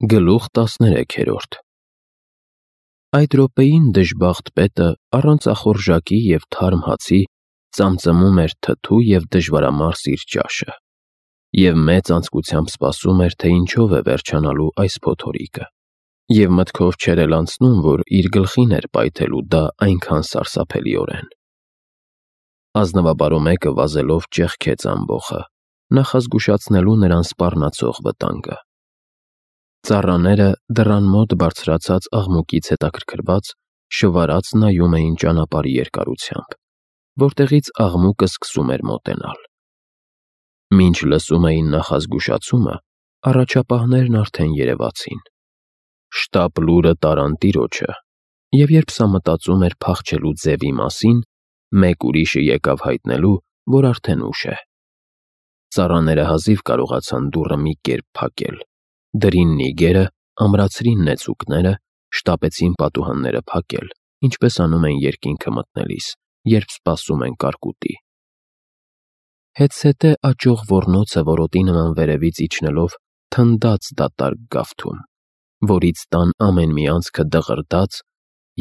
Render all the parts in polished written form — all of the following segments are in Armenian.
Գլուխ 13 Այդ րոպեին դժբախտ պետը առանց ախորժակի և թարմ հացի ծամծմում էր թթու և դժվարամարս իր ճաշը և մեծ անձկությամբ սպասում էր, թե ինչով է վերջանալու այս փոթորիկը, և մտքով չէր էլ անցնում, որ իր գլխին էր պայթելու դա այնքան սարսափելիորեն։ Ազնվաբարո մեկը վազելով ճեղքեց ամբոխը, նախազգուշացնելու նրան սպառնացող վտանգը։ Ծառաները դռան մոտ բարձրացած աղմուկից հետաքրքրված շվարած նայում էին ճանապարհի երկարությամբ, որտեղից աղմուկը սկսում էր մոտենալ։ Մինչ լսում էին նախազգուշացումը, առաջապահներն արդեն երևացին։ Շտապ լուրը տարան տիրոջը, և երբ սա մտածում էր փախչելու ձևի մասին, մեկ ուրիշը եկավ հայտնելու, որ արդեն ուշ է։ Ծառաները հազիվ կարողացան դուռը մի կերպ փակել, դրին նիգերը, ամրացրին նեցուկները, շտապեցին պատուհանները փակել, ինչպես անում են երկինքը մտնելիս, երբ սպասում են կարկուտի։ Հետզհետե աճող ոռնոցը որոտի նման վերևից իջնելով թնդաց դատարկ գավթում, որից տան ամեն մի անցքը դղրդաց,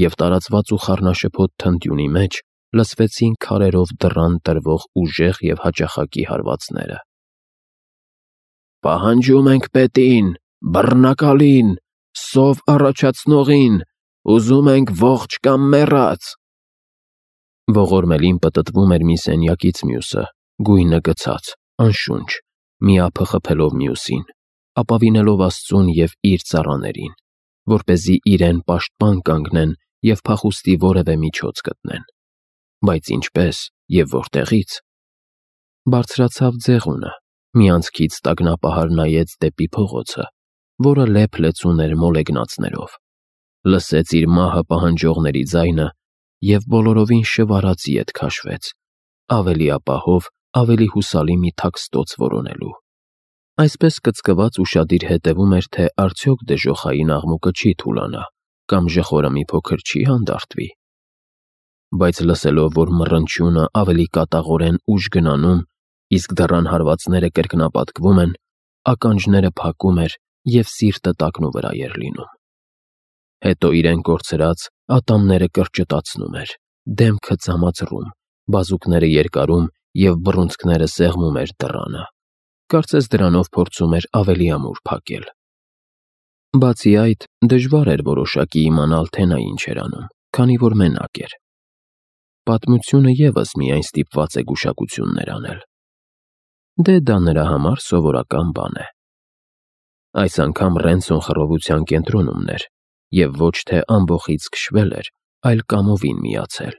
և տարածված ու խառնաշփոթ թնդյունի մեջ լսվեցին քարերով դռան տրվող ուժեղ և հաճախակի հարվածները։ «Պահանջում ենք պետին, բռնակալին, սով առաջացնողին, ուզում ենք ողջ կամ մեռած»։ Ողորմելին պտտվում էր մի սենյակից մյուսը, գույնը գցած, անշունչ, մի ափը խփելով մյուսին, ապավինելով Աստծուն և իր ծառաներին, որպեսզի իրեն պաշտպան կանգնեն և փախուստի որևէ միջոց գտնեն։ Բայց ինչպե՞ս և որտեղի՞ց։ Բարձրացավ ձեղունը, մի անցքից տագնապահար նայեց դեպի փողոցը, որը լեփ-լեցուն էր մոլեգնածներով, լսեց իր մահը պահանջողների ձայնը և բոլորովին շվարած ետ քաշվեց, ավելի ապահով, ավելի հուսալի մի թաքստոց որոնելու։ Այսպես կծկված ուշադիր հետևում էր, թե արդյոք դժոխային աղմուկը չի թուլանա, կամ ժխորը մի փոքր չի հանդարտվի։ Բայց լսելով, որ մռնչյունը ավելի կատաղորեն ուժ գնանում, իսկ դռան հարվածները կրկնապատկվում են, ականջները փակում էր և սիրտը տակնուվրա էր լինում։ Հետո իրեն կորցրած ատամները կրճտացնում էր, դեմքը ձամածռում, բազուկները երկարում և բռունցքները սեղմում էր դռանը, կարծես դրանով փորձում էր ավելի ամուր փակել։ Բացի այդ, դժվար էր որոշակի իմանալ, թե նա ինչ էր անում, քանի որ մենակ էր։ Պատմությունը ևս միայն ստիպված է գուշակություններ անել։ Դե դա նրա համար սովորական բան է։ Այս անգամ Ռենցոն խռովության կենտրոնում էր, և ոչ թե ամբոխից քշվել էր, այլ կամովին միացել։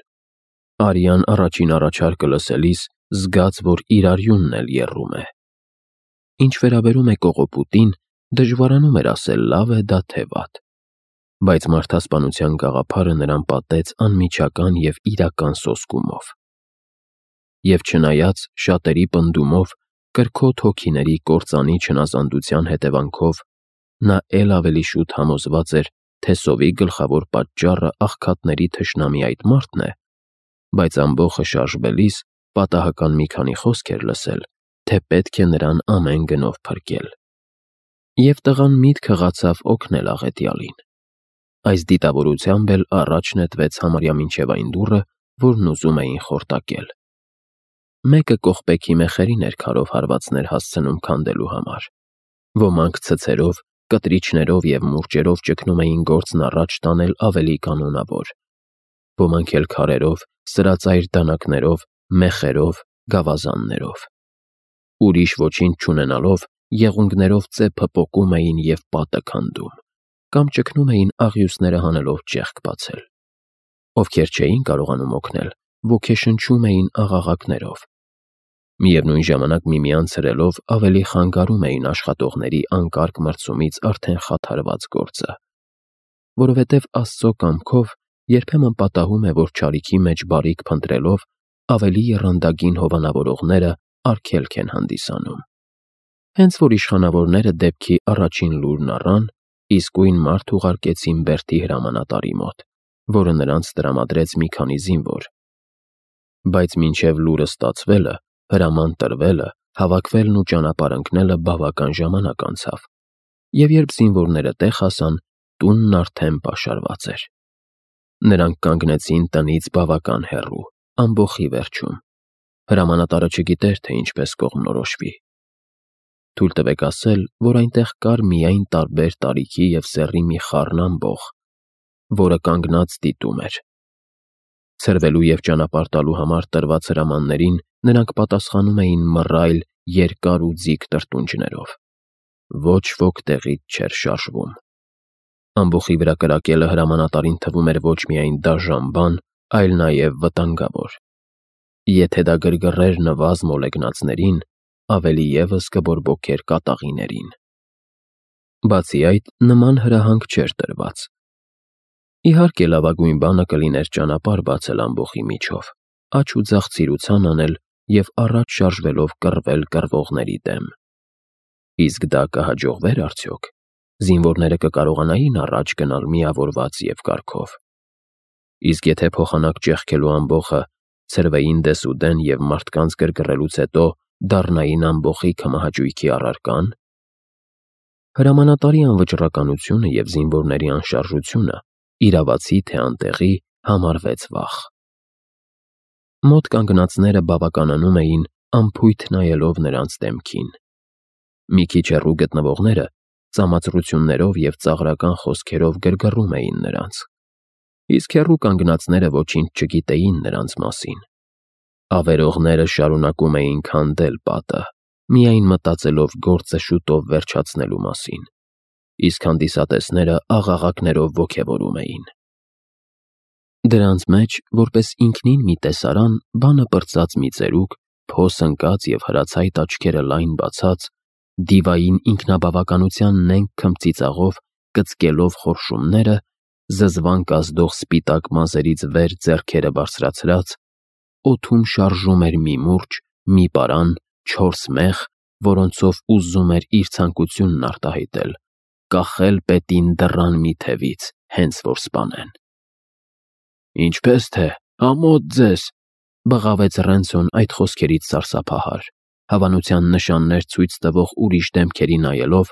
Արյան առաջին առաջարկը լսելիս զգաց, որ իր արյունն էլ եռում է։ Ինչ վերաբերում է կողոպուտին, դժվարանում էր ասել լավ է դա թե վատ, բայց մարդասպանության գաղափարը նրան պատեց անմիջական և իրական սոսկումով։ Եվ չնայած շատերի պնդումով, կրքոտ հոգիների կործանի չնազանդության հետևանքով, նա էլ ավելի շուտ համոզված էր, թե սովի գլխավոր պատճառը աղքատների թշնամի այդ մարդն է, բայց ամբոխը շարժվելիս պատահական մի քանի խոսք էր լսել, թե պետք է նրան ամեն գնով փրկել։ Եվ տղան միտք հղացավ օգնել աղետյալին։ Այս դիտավորությամբ էլ առաջ նետվեց համարյա մինչև այն դուռը, որն ուզում էին խորտակել։ Մեկը կողպեքի մեխերին էր քարով հարվածներ հասցնում քանդելու համար։ Ոմանք ցցերով, կտրիչներով և մուրճերով ճգնում էին գործն առաջ տանել ավելի կանոնավոր։ Ոմանք էլ քարերով, սրածայր դանակներով, մեխերով, գավազաններով։ Ուրիշ ոչինչ չունենալով, եղունգներով ծեփը պոկում էին և պատը քանդում, կամ ճգնում էին աղյուսները հանելով ճեղք բացել։ Ովքեր չէին կարողանում օգնել, ոգեշնչում էին աղաղակներով։ Միևնույն ժամանակ միմյանց հրելով ավելի խանգարում էին աշխատողների անկարգ մրցումից արդեն խաթարված գործը։ Որովհետև Աստծո կամքով երբեմն պատահում է, որ չարիքի մեջ բարիք փնտրելով ավելի եռանդագին հովանավորողները արգելք են հանդիսանում։ Հենց որ իշխանավորները դեպքի առաջին լուրն առան, իսկույն մարդ ուղարկեցին Բերտի հրամանատարի մոտ, որը նրանց տրամադրեց մի քանի զինվոր։ Բայց մինչև լուրը ստացվելը, հրաման տրվելը, հավաքվելն ու ճանապարհ ընկնելը բավական ժամանակ անցավ, և երբ զինվորները տեղ հասան, տունն արդեն պաշարված էր։ Նրանք կանգնեցին տնից բավական հեռու, ամբոխի վերջում։ Հրամանատարը չգիտեր, թե ինչպես կողմնորոշվի։ Թույլ տվեք ասել, որ այնտեղ կար միայն տարբեր տարիքի և սեռի մի խառն ամբոխ, որը կանգնած դիտում էր։ Ցրվելու և ճանապարհ տալու համար տրված հրամաններին նրանք պատասխանում էին մռայլ, երկար ու ձիգ տրտունջներով։ Ոչ ոք տեղից չէր շարժվում։ Ամբոխի վրա կրակելը հրամանատարին թվում էր ոչ միայն դաժան բան, այլ նաև վտանգավոր։ Եթե դա գրգռեր նվազ մոլեգնածներին, ավելի ևս կբորբոքեր կատաղիներին։ Բացի այդ, նման հրահանգ չէր տրված։ Իհարկե, լավագույն բանը կլիներ ճանապարհ բացել ամբոխի միջով, աջ ու ձախ ցիրուցան անել և առաջ շարժվելով կռվել կռվողների դեմ։ Իսկ դա կհաջողվեր արդյոք։ Զինվորները կկարողանային առաջ գնալ միավորված և կարգով։ Իսկ եթե փոխանակ ճեղքելու ամբոխը ցրվեին դեսուդեն և մարդկանց գրգռելուց հետո դառնային ամբոխի քմահաճույքի առարկան։ Հրամանատարի անվճռականությունը և զինվորների անշարժությունը, իրավացի թե անտեղի, համարվեց վախ։ Մոտ կանգնածները բավականանում էին անփույթ նայելով նրանց դեմքին։ Մի քիչ հեռու գտնվողները ծամածրություններով և ծաղրական խոսքերով գրգռում էին նրանց, իսկ հեռու կանգնածները ոչինչ չգիտեին նրանց մասին։ Ավերողները շարունակում էին քանդել պատը, միայն մտածելով գործը շուտով վերջացնելու մասին, իսկ հանդիսատեսները աղաղակներով ոգևորում էին։ Դրանց մեջ, որպես ինքնին մի տեսարան, բանը պրծած մի ծերուկ, փոս ընկած և հրացայտ աչքերը լայն բացած, դիվային ինքնաբավականության նենգ քմծիծաղով կծկելով խորշումները, զզվանք ազդող սպիտակ մազերից վեր ձեռքերը բարձրացրած, օդում շարժում էր մի մուրճ, մի պարան, 4 մեղ, որոնցով ուզում էր իր ցանկությունն արտահայտել, կախել պետին դռան մի թևից, հենց որ սպանեն։ «Ինչպե՞ս թե, ամոթ ձեզ», բղավեց Ռենցոն այդ խոսքերից սարսափահար, հավանության նշաններ ցույց տվող ուրիշ դեմքերի նայելով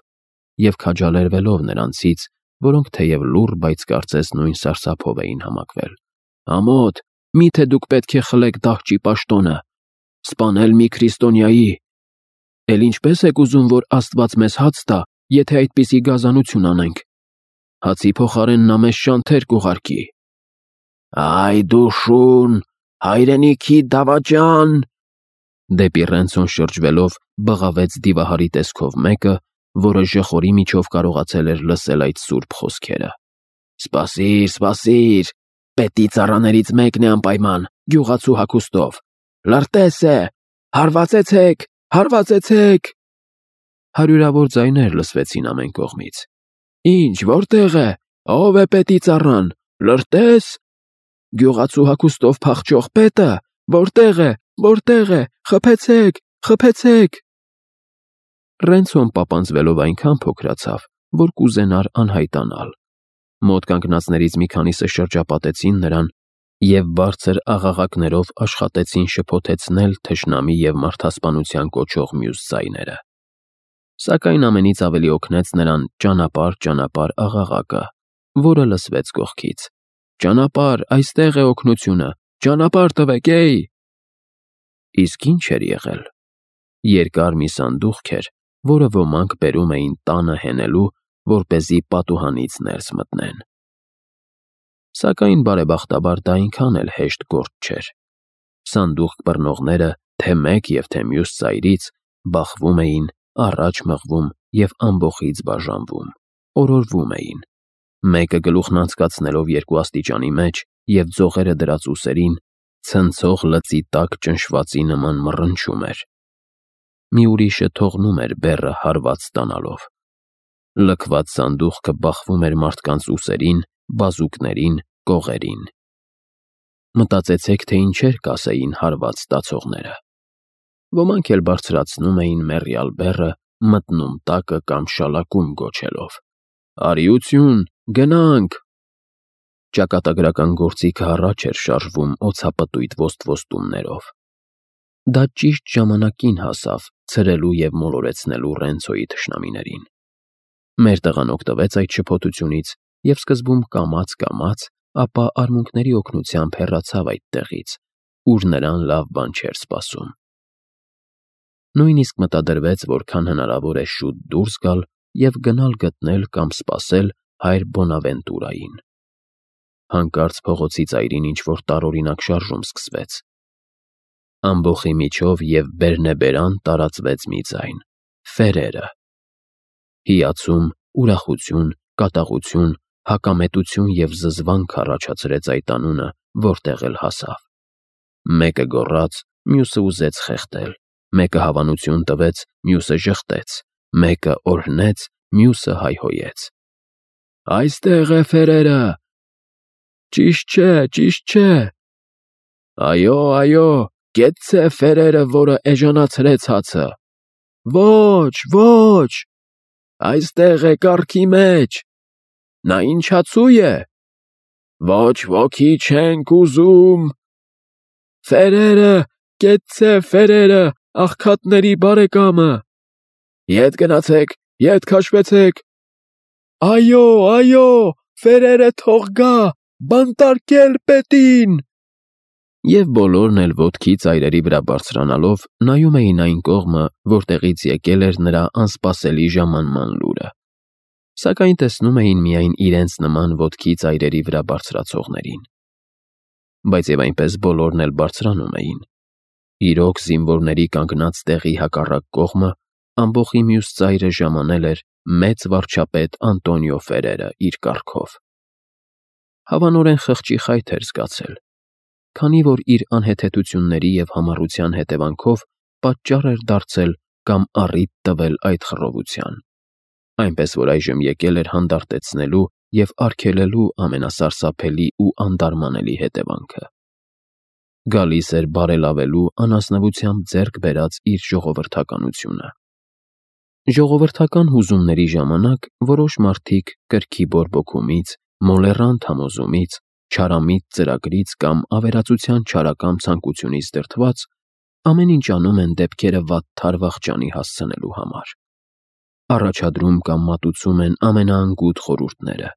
և քաջալերվելով նրանցից, որոնք թեև լուռ, բայց կարծես նույն սարսափով էին համակվել։ «Ամոթ, միթե դուք պետք է խլեք դահճի պաշտոնը, սպանել մի քրիստոնյայի։ Էլ ինչպե՞ս եք ուզում, որ Աստված մեզ հաց տա, եթե այդպիսի գազանություն անենք։ Հացի փոխարեն նա մեզ շանթեր կուղարկի»։ «Այ դու շուն, հայրենիքի դավաճան», դեպի Ռենցոն շրջվելով բղավեց դիվահարի տեսքով մեկը, որը ժխորի միջով կարողացել էր լսել այդ սուրբ խոսքերը։ «Սպասիր, սպասիր, պետի ծառաներից մեկն է անպայման, գյուղացու հագուստով։ Լրտես է, հարվածեցեք, հարվածեցեք»։ Հարյուրավոր ձայներ լսվեցին ամեն կողմից։ «Ինչ, որտեղ է, ով է պետի ծառան, լրտես, գյուղացու հագուստով փախչող պետը, որտեղ է, խփեցեք, խփեցեք»։ Ռենցոն պապանձվելով այնքան փոքրացավ, որ կուզենար անհայտանալ։ Մոտ կանգնածներից մի քանիսը շրջապատեցին նրան և բարձր աղաղակներով աշխատեցին շփոթեցնել թշնամի և մարդասպանության կոչող մյուս ձայները։ Սակայն ամենից ավելի օգնեց նրան «ճանապարհ, ճանապարհ» աղաղակը, որը լսվեց կողքից։ «Ճանապարհ, այստեղ է օգնությունը, ճանապարհ տվեք, էյ»։ Իսկ ինչ էր եղել։ Երկար մի սանդուղք էր, որը ոմանք բերում էին տանը հենելու, որպեսզի պատուհանից ներս մտնեն։ Սակայն բարեբախտաբար դա այնքան էլ հեշտ գործ չէր։ Սանդուղք բռնողները, թե մեկ և թե մյուս ծայրից, բախվում էին, առաջ մղվում և ամբոխից բաժանվում, օրորվում էին։ Մեկը գլուխն անցկացնելով երկու աստիճանի մեջ և ձողերը դրած ուսերին, ցնցող լծի տակ ճնշվածի նման մռնչում էր։ Մի ուրիշը թողնում էր բեռը հարված ստանալով։ Լքված սանդուղքը բախվում էր մարդկանց ուսերին, բազուկներին, կողերին։ Մտածեցեք, թե ինչեր կասեին հարված ստացողները։ Ոմանք էլ բարձրացնում էին մեռյալ բեռը, մտնում տակը կամ շալակում գոչելով. «Արիություն, գնանք»։ Ճակատագրական գործիքը առաջ էր շարժվում օձապտույտ ոստվոստումներով։ Դա ճիշտ ժամանակին հասավ ցրելու և մոլորեցնելու Ռենցոյի թշնամիներին։ Մեր տղան օգտվեց այդ շփոթությունից և սկզբում կամաց, ապա արմունկների օգնությամբ հեռացավ այդ տեղից, ուր նրան լավ բան չէր սպասում։ Նույնիսկ մտադրվեց, որքան հնարավոր է շուտ դուրս գալ և գնալ գտնել կամ սպասել հայր Բոնավենտուրային։ Հանկարծ փողոցի ծայրին ինչ-որ տարօրինակ շարժում սկսվեց։ Ամբոխի միջով և բերնեբերան տարածվեց մի ձայն. «Ֆերերը»։ Հիացում, ուրախություն, կատաղություն, հակամետություն և զզվանք առաջացրեց այդ անունը, որտեղ էլ հասավ։ Մեկը գոռաց, մյուսը ուզեց խեղդել, մեկը հավանություն տվեց, մյուսը ժխտեց, մեկը օրհնեց, մյուսը հայհոյեց. «Այստեղ է Ֆերերը»։ «Ճիշտ չէ»։ «Այո, կեցցե Ֆերերը, որը էժանացրեց հացը»։ «Ոչ, այստեղ է կառքի մեջ»։ «Նա ինչ հացու է»։ «Ոչ ոքի չենք ուզում»։ «Ֆերերը, կեցցե Ֆերերը, աղքատների բարեկամը»։ «Ետ գնացեք, ետ քաշվեցեք»։ «Այո, Ֆերերը թող գա, բանտարկել պետին»։ Եվ բոլորն էլ ոտքի ծայրերի վրա բարձրանալով նայում էին այն կողմը, որտեղից եկել էր նրա անսպասելի ժամանման լուրը, սակայն տեսնում էին միայն իրենց նման ոտքի ծայրերի վրա բարձրացողներին։ Բայց և այնպես բոլորն էլ բարձրանում էին։ Իրոք զինվորների կանգնած տեղի հակառակ կողմը ամբոխի մյուս ծայրը ժամանել էր մեծ վարչապետ Անտոնիո Ֆերերը իր կառքով։ Հավանորեն խղճի խայթ էր զգացել, քանի որ իր անհեթեթությունների և համառության հետևանքով պատճառ էր դարձել կամ առիթ տվել այդ խռովության, այնպես որ այժմ եկել էր հանդարտեցնելու և արգելելու ամենասարսափելի ու անդարմանելի հետևանքը։ Գալիս էր բարելավելու անազնվությամբ ձեռք բերած իր ժողովրդականությունը։ Ժողովրդական հուզումների ժամանակ որոշ մարդիկ կրքի բորբոքումից, մոլեռանդ համոզումից, չարամիտ ծրագրից կամ ավերածության չարակամ ցանկությունից դրդված ամեն ինչ անում են դեպքերը վատթար վախճանի հասցնելու համար։ Առաջադրում կամ մատուցում են ամենաանգութ խորհուրդները,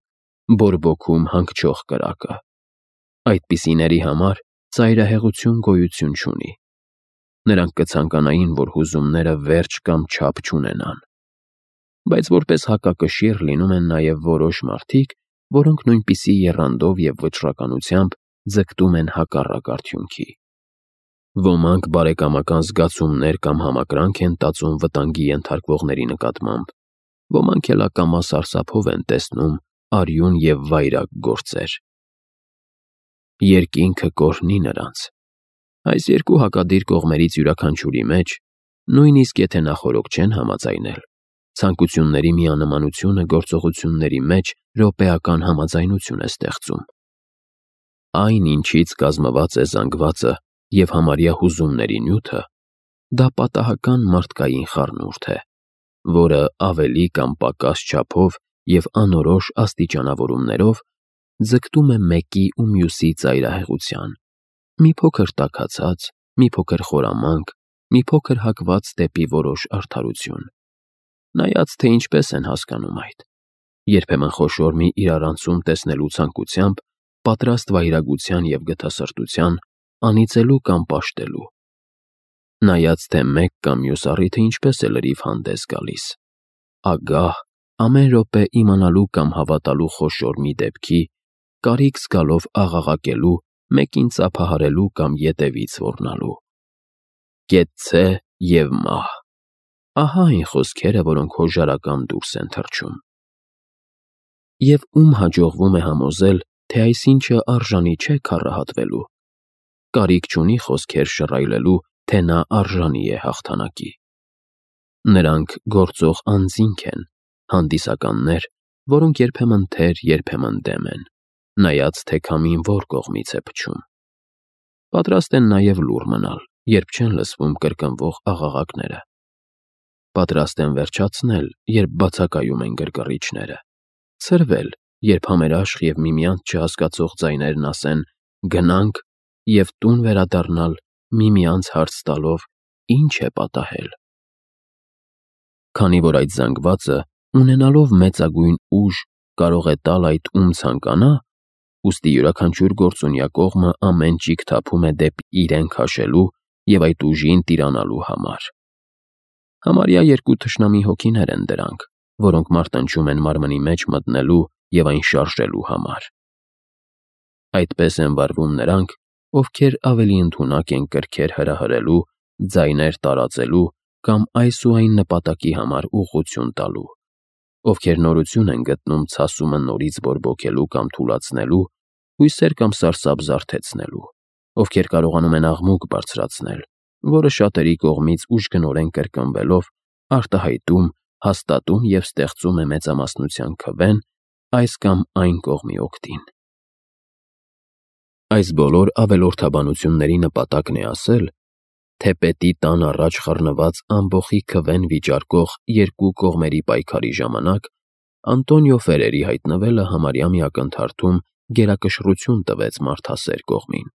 բորբոքում հանգչող կրակը։ Այդպիսիների համար ծայրահեղություն գոյություն չունի։ Նրանք կցանկանային, որ հուզումները վերջ կամ չափ չունենան։ Բայց որպես հակակշիռ լինում են նաև որոշ մարդիկ, որոնք նույնպիսի եռանդով և վճռականությամբ ձգտում են հակառակ արդյունքի։ Ոմանք բարեկամական զգացումներ կամ համակրանք են տածում վտանգի ենթարկվողների նկատմամբ, ոմանք էլ ակամա սարսափով են տեսնում արյուն և վայրագ գործեր։ Երկինքը կօրհնի նրանց։ Այս երկու հակադիր կողմերից յուրաքանչյուրի մեջ, նույնիսկ եթե նախօրոք չեն համաձայնել, ցանկությունների միանմանությունը գործողությունների մեջ րոպեական համաձայնություն է ստեղծում։ Այն, ինչից կազմված է զանգվածը և համարյա հուզումների նյութը, դա պատահական մարդկային խառնուրդ է, որը ավելի կամ պակաս չափով և անորոշ աստիճանավորումներով ձգտում է մեկի ու մյուսի ծայրահեղության, մի փոքր տաքացած, մի փոքր խորամանկ, մի փոքր հակված դեպի որոշ արդարություն։ Նայած թե ինչպես են հասկանում այդ, երբեմն խոշոր մի իրարանցում տեսնելու ցանկությամբ, պատրաստ վայրագության և գթասրտության, անիծելու կամ պաշտելու։ Նայած թե մեկ կամ մյուս առիթը ինչպես է լրիվ հանդես գալիս, ագահ, ամեն րոպե իմանալու կամ հավատալու խոշոր մի դեպքի, կարիք զգալով աղաղակելու, մեկին ծափահարելու կամ ետևից ոռնալու։ Կեցցե և մահ։ Ահա այն խոսքերը, որոնք հոժարական դուրս են թռչում։ Եվ ում հաջողվում է համոզել, թե այսինչը արժանի չէ քառահատվելու, կարիք չունի խոսքեր շռայլելու, թե նա արժանի է հաղթանակի։ Նրանք գործող անձինք են, հանդիսականներ, որոնք երբեմն թեր, երբեմն դեմ են, նայած թե քամին որ կողմից է փչում։ Պատրաստ են նաև լուռ մնալ, երբ չեն լսվում կրկնվող աղաղակները։ Պատրաստ են վերջացնել, երբ բացակայում են գրգռիչները, ցրվել, երբ համերաշխ և միմյանց չհասկացող ձայներն ասեն «գնանք» և տուն վերադառնալ, միմյանց հարց տալով՝ ինչ է պատահել։ Քանի որ այդ զանգվածը, ունենալով մեծագույն ուժ, կարող է տալ այդ ում ցանկանա, ուստի յուրաքանչյուր գործունյա կողմը ամեն ճիգ թափում է դեպի իրեն քաշելու և այդ ուժին տիրանալու համար։ Համարյա երկու թշնամի հոգիներ են դրանք, որոնք մարտնչում են մարմնի մեջ մտնելու և այն շարժելու համար։ Այդպես են վարվում նրանք, ովքեր ավելի ընդունակ են կրքեր հրահրելու, ձայներ տարածելու կամ այս ու այն նպատակի համար ուղղություն տալու, ովքեր նորություն են գտնում ցասումը նորից բորբոքելու կամ թուլացնելու, հույսեր կամ սարսափ զարթեցնելու, ովքեր կարողանում են աղմուկ բարձրացնել, որը շատերի կողմից ուժգնորեն կրկնվելով արտահայտում, հաստատում և ստեղծում է մեծամասնության քվեն այս կամ այն կողմի օգտին։ Այս բոլոր ավելորդաբանությունների նպատակն է ասել, թե պետի տան առաջ խառնված ամբոխի քվեն վիճարկող երկու կողմերի պայքարի ժամանակ Անտոնիո Ֆերերի հայտնվելը համարյա մի ակնթարթում գերակշռություն տվեց մարդասեր կողմին,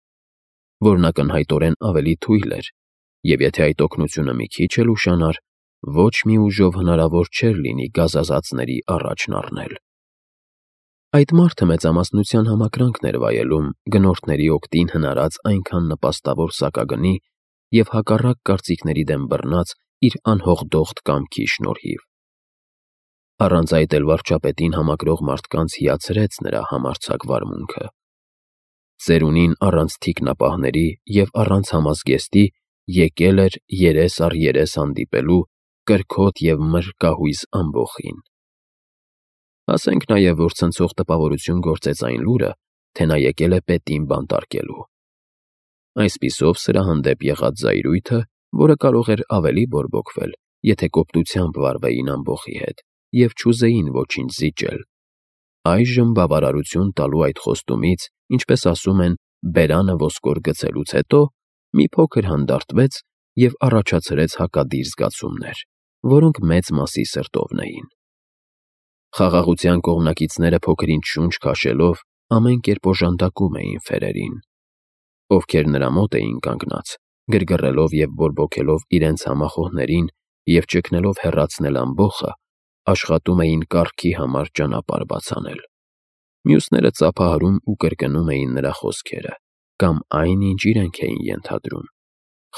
որն ակնհայտորեն ավելի թույլ էր, և եթե այդ օգնությունը մի քիչ էլ ուշանար, ոչ մի ուժով հնարավոր չէր լինի գազազածների առաջն առնել։ Այդ մարդը մեծամասնության համակրանքն էր վայելում գնորդների օգտին հնարած այնքան նպաստավոր սակագնի և հակառակ կարծիքների դեմ բռնած իր անհողդողդ կամքի շնորհիվ։ Առանց այդ էլ վարչապետին համակրող մարդկանց հիացրեց նրա համարձակ վարմունքը։ Ծերունին առանց թիկնապահների և առանց համազգեստի եկել էր երես առ երես հանդիպելու կրքոտ և մրրկահույզ ամբոխին։ Ասենք նաև, որ ցնցող տպավորություն գործեց այն լուրը, թե նա եկել է պետին բանտարկելու։ Այսպիսով սրա հանդեպ եղած զայրույթը, որը կարող էր ավելի բորբոքվել, եթե կոպտությամբ վարվեին ամբոխի հետ և չուզեին ոչինչ զիջել, այժմ բավարարություն տալու այդ խոստումից, ինչպես ասում են, բերանը ոսկոր գցելուց հետո մի փոքր հանդարտվեց և առաջացրեց հակադիր զգացումներ, որոնք մեծ մասի սրտովն էին։ Խաղաղության կողմնակիցները փոքր-ինչ շունչ քաշելով ամեն կերպ օժանդակում էին Ֆերերին, ովքեր նրա մոտ էին կանգնած, գրգռելով և բորբոքելով իրենց համախոհներին և ճգնելով հեռացնել ամբոխը, աշխատում էին կառքի համար ճանապարհ բաց անել։ Մյուսները ծափահարում ու կրկնում էին նրա խոսքերը կամ այն, ինչ իրենք էին ենթադրում,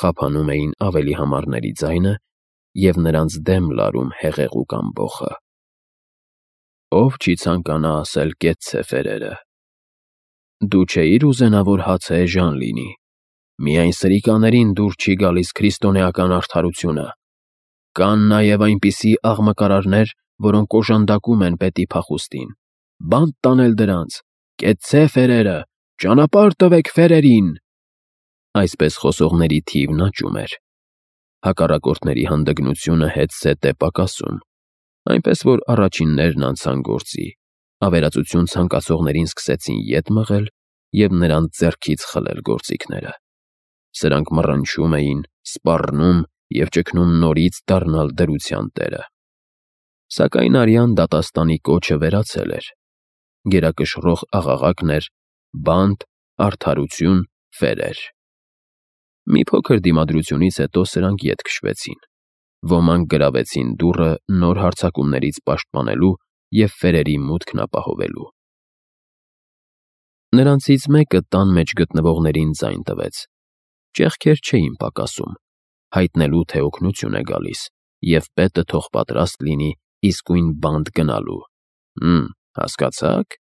խափանում էին ավելի համառների ձայնը և նրանց դեմ լարում հեղեղուկ ամբոխը։ Ով չի ցանկանա ասել «կեցցե Ֆերերը»։ Դու չէիր ուզենա, որ հացը էժան լինի։ Միայն սրիկաներին դուր չի գալիս քրիստոնեական արդարությունը։ Կան նաև այնպիսի աղմկարարներ, որոնք օժանդակում են պետի փախուստին։ Բանտ տանել դրանց։ Կեցցե Ֆերերը, ճանապարհ տվեք Ֆերերին։ Այսպես խոսողների թիվն աճում էր։ Հակառակորդների հանդգնությունը հետզհետե պակասում, այնպես որ առաջիններն անցան գործի, ավերածություն ցանկացողներին սկսեցին ետ մղել և նրանց ձեռքից խլել գործիքները։ Սրանք մռնչում էին, սպառնում և ճգնում նորից դառնալ դրության տերը։ Սակայն արյան դատաստանի կոչը վերացել էր։ Գերակշռող աղաղակն էր. «Բանտ, արդարություն, Ֆերեր»։ Մի փոքր դիմադրությունից հետո սրանք ետ քշվեցին։ Ոմանք գրավեցին դուռը նոր հարձակումներից պաշտպանելու և Ֆերերի մուտքն ապահովելու։ Նրանցից մեկը տան մեջ գտնվողներին ձայն տվեց. ճեղքեր չէին պակասում, հայտնելու, թե օգնություն է գալիս, և պետը թող պատրաստ լինի իսկույն բանտ գնալու։ Հասկացա՞ք։